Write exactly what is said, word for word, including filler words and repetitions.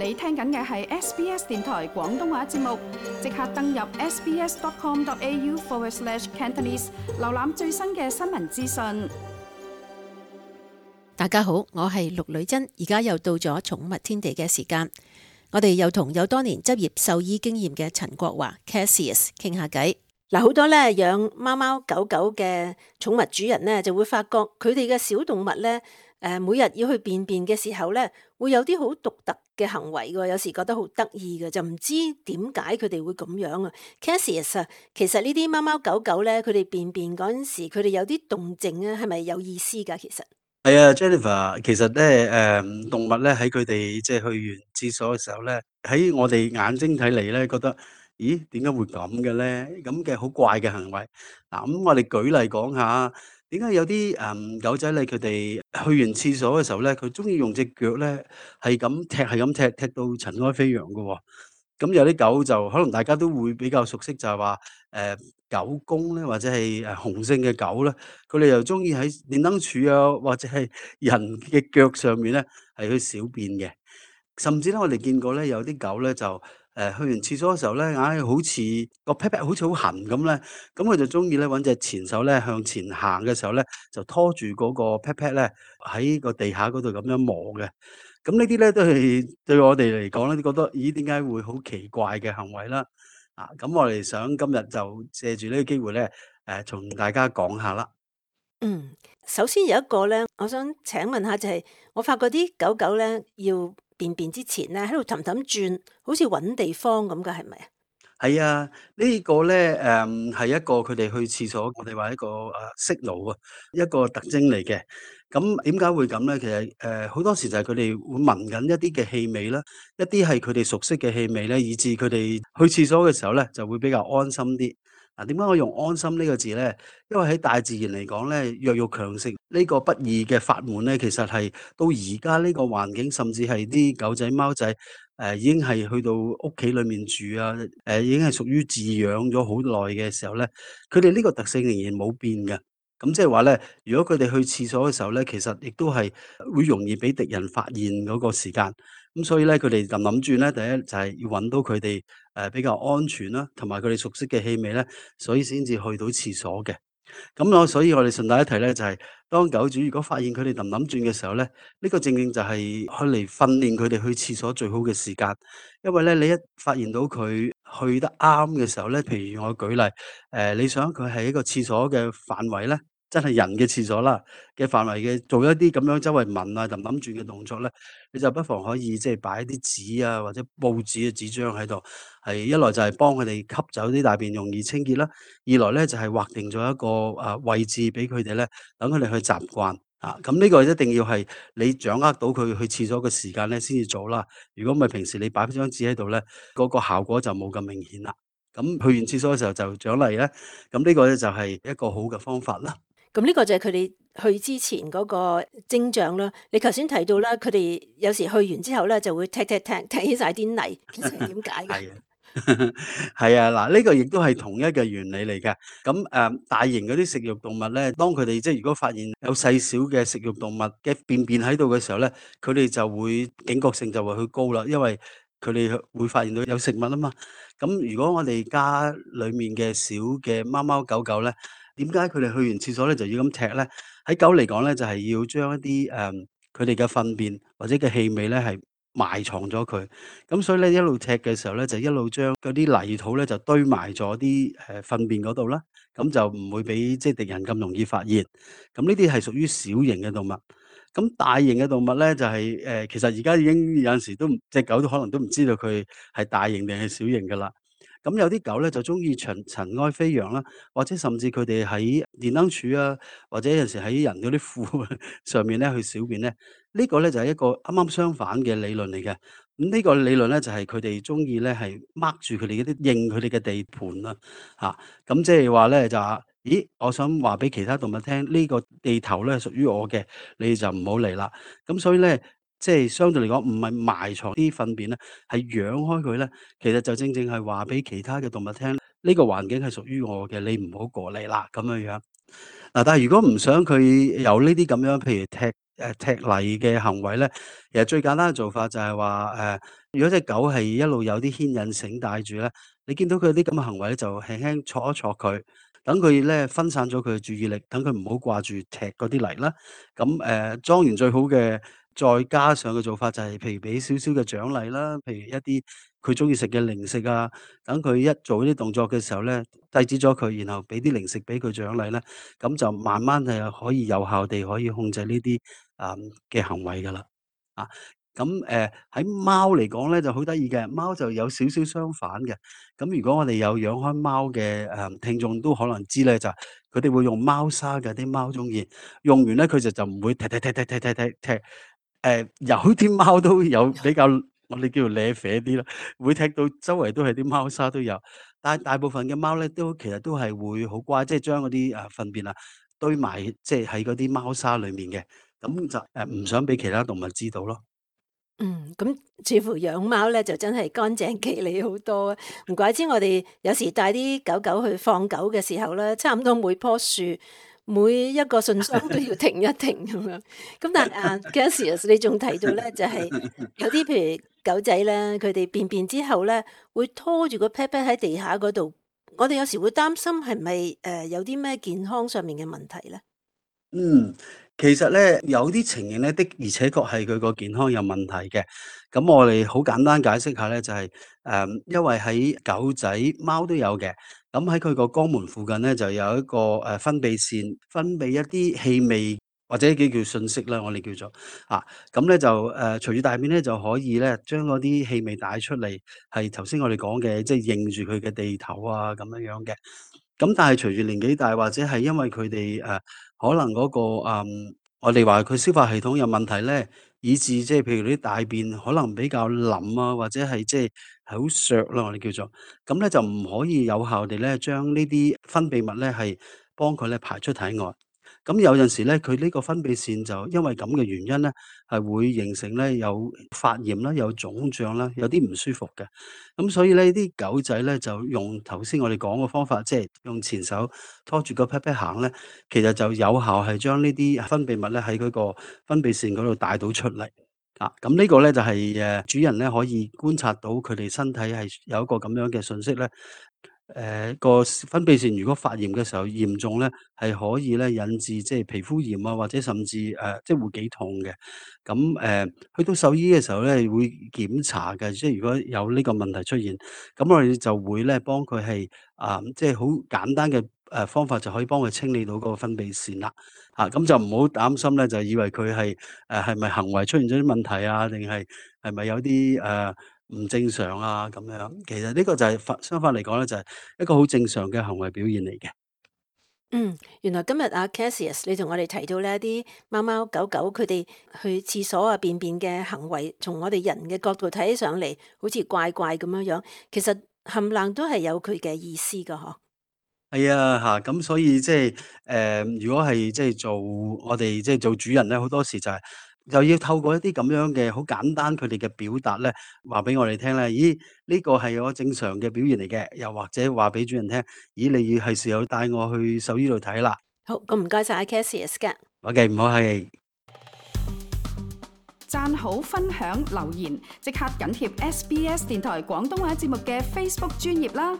你聽緊嘅係 S B S 電台廣東話節目，即刻登入 sbs.com.au forward slash Cantonese， 瀏覽最新嘅新聞資訊。大家好，我係陸女珍，而家又到咗寵物天地嘅時間，我哋又同有多年執業獸醫經驗嘅陳國華 Cassius 傾下偈。嗱，好多咧養貓貓狗狗嘅寵物主人咧，就會發覺佢哋嘅小動物咧，誒每日要去便便嘅時候咧，會有啲好獨特嘅行為㗎，有時覺得好得意嘅，就唔知點解佢哋會咁樣啊。Cassius 啊，其實呢啲貓貓狗狗咧，佢哋便便嗰陣時，佢哋有啲動靜啊，係咪有意思㗎？其實係啊，Jennifer，其實咧，誒動物咧喺佢哋即係去完廁所嘅時候咧，喺我哋眼睛睇嚟咧，覺得咦點解會咁嘅咧？咁嘅好怪嘅行為。嗱，咁我哋舉例講下，點解有啲誒狗仔咧，佢哋去完廁所嘅時候咧，佢中意用隻腳咧係咁踢，係咁踢，踢到塵埃飛揚嘅喎。咁有啲狗就可能大家都會比較熟悉，就係話誒狗公咧，或者係誒雄性嘅狗咧，佢哋又中意喺電燈柱啊，或者係人嘅腳上面咧係去小便嘅。甚至咧，我哋見過咧有啲狗咧就誒、呃、去完廁所嘅時候咧，硬係好似個 pat pat 好似好痕咁咧，咁佢就中意咧揾隻前手咧向前行嘅時候咧，就拖住嗰個 pat pat 咧喺個地下嗰度咁樣磨嘅。咁呢啲咧都係對我哋嚟講咧，都覺得咦點解會好奇怪嘅行為啦？啊，咁我哋想今日就借住呢個機會咧，誒同大家講下啦。嗯，首先有一個咧，我想請問下就係、是，我發覺啲狗狗咧要便便之前咧喺度氹氹轉，好似揾地方咁㗎，係咪啊？係啊，呢個咧誒係一個佢哋去廁所，我哋話一個誒 signal 啊，一個特徵嚟嘅。咁點解會咁咧？其實誒好多時就係佢哋會聞緊一啲嘅氣味啦，一啲係佢哋熟悉嘅氣味咧，以致佢哋去廁所嘅時候咧就會比較安心啲。嗱，點解我用安心呢個字咧？因為喺大自然嚟講咧，弱肉強食呢個不二嘅法門咧，其實係到而家呢個環境，甚至係啲狗仔貓仔。誒、呃、已經係去到屋企裏面住啊！誒、呃、已經係屬於飼養咗好耐嘅時候咧，佢哋呢個特性仍然冇變嘅。咁即係話咧，如果佢哋去廁所嘅時候咧，其實亦都係會容易俾敵人發現嗰個時間。咁所以咧，佢哋就諗住咧，第一就係要揾到佢哋誒比較安全啦，同埋佢哋熟悉嘅氣味咧，所以先至去到廁所嘅。咁我所以我哋順帶一提咧，就係當狗主如果發現佢哋氹氹轉嘅時候咧，呢個正正就係去嚟訓練佢哋去廁所最好嘅時間。因為咧，你一發現到佢去得啱嘅時候咧，譬如我舉例，誒，你想佢係一個廁所嘅範圍咧，真係人嘅廁所啦嘅範圍嘅，做一啲咁樣周圍聞啊、氹氹轉嘅動作咧，你就不妨可以即係擺啲紙啊或者報紙嘅紙張喺度，係一來就係幫佢哋吸走啲大便容易清潔啦。二來咧就係劃定咗一個啊位置俾佢哋咧，等佢哋去習慣啊。咁呢個一定要係你掌握到佢去廁所嘅時間咧，先至做啦。如果唔係平時你擺張紙喺度咧，嗰個效果就冇咁明顯啦。咁去完廁所嘅時候就獎勵咧，咁呢個咧就係一個好嘅方法啦。咁呢個就係佢哋去之前嗰個徵象啦。你頭先提到啦，佢哋有時去完之後咧，就會踢踢踢踢起晒啲泥，其實係點解嘅？係啊，係啊，嗱，呢個亦都係同一個原理嚟嘅。咁誒、呃，大型嗰啲食肉動物咧，當佢哋即係如果發現有細小嘅食肉動物嘅便便喺度嘅時候咧，佢哋就會警覺性就會去高啦，因為佢哋會發現到有食物啊嘛。咁如果我哋家裡面嘅小嘅貓貓狗狗咧，點解佢哋去完廁所咧就要咁踢咧？喺狗嚟講咧，就係、是、要將一啲誒佢哋嘅糞便或者嘅氣味咧係埋藏咗佢。咁所以咧一路踢嘅時候咧，就一路將嗰啲泥土咧就堆埋咗啲誒糞便嗰度啦，咁就唔會俾即係敵人咁容易發現。咁呢啲係屬於小型嘅動物。咁大型嘅動物咧就係、是、誒、呃，其實而家已經有陣時都唔隻狗都可能都唔知道佢係大型定係小型噶啦。咁有啲狗咧就中意塵塵埃飛揚啦，或者甚至佢哋喺電燈柱啊，或者有時喺人嗰啲褲上面咧去小便咧，呢、這個咧就係一個啱啱相反嘅理論嚟嘅。咁呢個理論咧就係佢哋中意咧係 mark 住佢哋嗰啲認佢哋嘅地盤啦，嚇，咁即係話咧就話，咦，我想話俾其他動物聽，呢、這個地頭咧屬於我嘅，你就唔好嚟啦。咁所以咧，即係相對嚟講，唔係埋藏啲糞便咧，係揚開佢咧，其實就正正係話俾其他嘅動物聽，呢、個環境係屬於我嘅，你唔好過嚟啦，咁樣樣。嗱，但係如果唔想佢有呢啲咁樣，譬如踢誒踢泥嘅行為咧，其實最簡單嘅做法就係話誒，如果隻狗係一路有啲牽引繩帶住咧，你見到佢啲咁嘅行為咧，就輕輕戳一戳佢，等佢咧分散咗佢嘅注意力，等佢唔好掛住踢嗰啲泥啦。咁誒裝完最好嘅，再加上嘅做法就係譬如俾少少嘅獎勵啦，譬如一啲佢中意食嘅零食啊，等佢一做呢啲動作嘅時候咧，制止咗佢，然後俾啲零食俾佢獎勵咧，咁就慢慢係可以有效地可以控制呢啲啊嘅行為噶啦。啊，咁誒喺貓嚟講咧就好得意嘅，貓就有少少相反嘅。咁如果我哋有養開貓嘅誒聽眾都可能知咧，就係佢哋會用貓砂嘅，啲貓中意用完咧佢就就唔會踢踢踢踢踢踢踢踢。誒有啲貓都有比較我哋叫做瀨啡啲啦，會踢到周圍都係啲貓砂都有。但係大部分嘅貓咧都其實都係會好乖，即係將嗰啲誒糞便啊堆埋，即係喺嗰啲貓砂裡面嘅，咁就誒唔想俾其他動物知道咯。嗯，咁似乎養貓咧就真係乾淨企理好多啊！唔怪之我哋有時帶啲狗狗去放狗嘅時候咧，差唔多每棵樹每一個信箱都要停一停咁樣。咁但係啊 Cassius 你仲提到咧，就係有啲譬如狗仔咧，佢哋便便之後咧，會拖住個 pat pat 喺地下嗰度。我哋有時會擔心係咪誒有啲咩健康上面嘅問題咧？嗯，其實咧有啲情形咧的而且確係佢個健康有問題嘅。咁我哋好簡單解釋下咧，就係、誒，因為喺狗仔、貓都有嘅。咁喺佢個肛門附近咧，就有一個誒分泌腺，分泌一啲氣味或者叫叫信息啦，我哋叫做啊。咁咧就誒隨住大便咧就可以咧將嗰啲氣味帶出嚟，係頭先我哋講嘅，即係認住佢嘅地頭啊咁樣樣嘅。咁但係隨住年紀大，或者係因為佢哋誒可能嗰、個嗯，我哋話佢消化系統有問題咧，以致即係譬如啲大便可能比較腍啊，或者係即係係好削啦，我哋叫做，咁咧就唔可以有效地咧將呢啲分泌物咧係幫佢咧排出體外。咁有陣時咧，佢呢個分泌腺就因為咁嘅原因咧，係會形成咧有發炎啦、有腫脹啦、有啲唔舒服嘅。咁所以咧，啲狗仔咧就用頭先我哋講嘅方法，即係用前手拖住個 pat pat 行咧，其實就有效係將呢啲分泌物咧喺嗰個分泌腺嗰度帶到出嚟。啊，咁呢個咧就係誒主人咧可以觀察到佢哋身體係有一個咁樣嘅信息咧。誒個分泌腺如果發炎嘅時候嚴重咧，係可以咧引致即係皮膚炎啊，或者甚至誒、呃、即係會幾痛嘅。咁誒、呃、去到獸醫嘅時候咧，會檢查嘅，即係如果有呢個問題出現，咁我哋就會咧幫佢係啊，即係好簡單嘅誒方法就可以幫佢清理到嗰個分泌腺啦。嚇、咁就唔好擔心咧，就以為佢係誒係咪行為出現咗啲問題啊，定係係咪有啲誒？呃唔正常啊咁樣，其實呢個就係反相反嚟講咧，就係一個好正常嘅行為表現嚟嘅。嗯，原來今日阿 Cassius 你同我哋提到呢啲貓貓狗狗佢哋去廁所啊便便嘅行為，從我哋人嘅角度睇起上嚟，好似怪怪咁樣樣，其實冚唪唥都係有佢嘅意思噶，嗬。係啊，嚇咁所以即係誒，如果係即係做我哋即係做主人咧，好多時就係就要透過一啲咁樣嘅好簡單佢哋嘅表達咧，話俾我哋聽咧，咦呢個係我正常嘅表現嚟嘅，又或者話俾主人聽，咦你要係時候帶我去獸醫度睇啦。好，咁唔該晒阿 Cassius 噶。OK，唔好客氣。讚好、分享、留言，即刻緊貼 S B S 電台廣東話節目嘅 Facebook 專頁啦！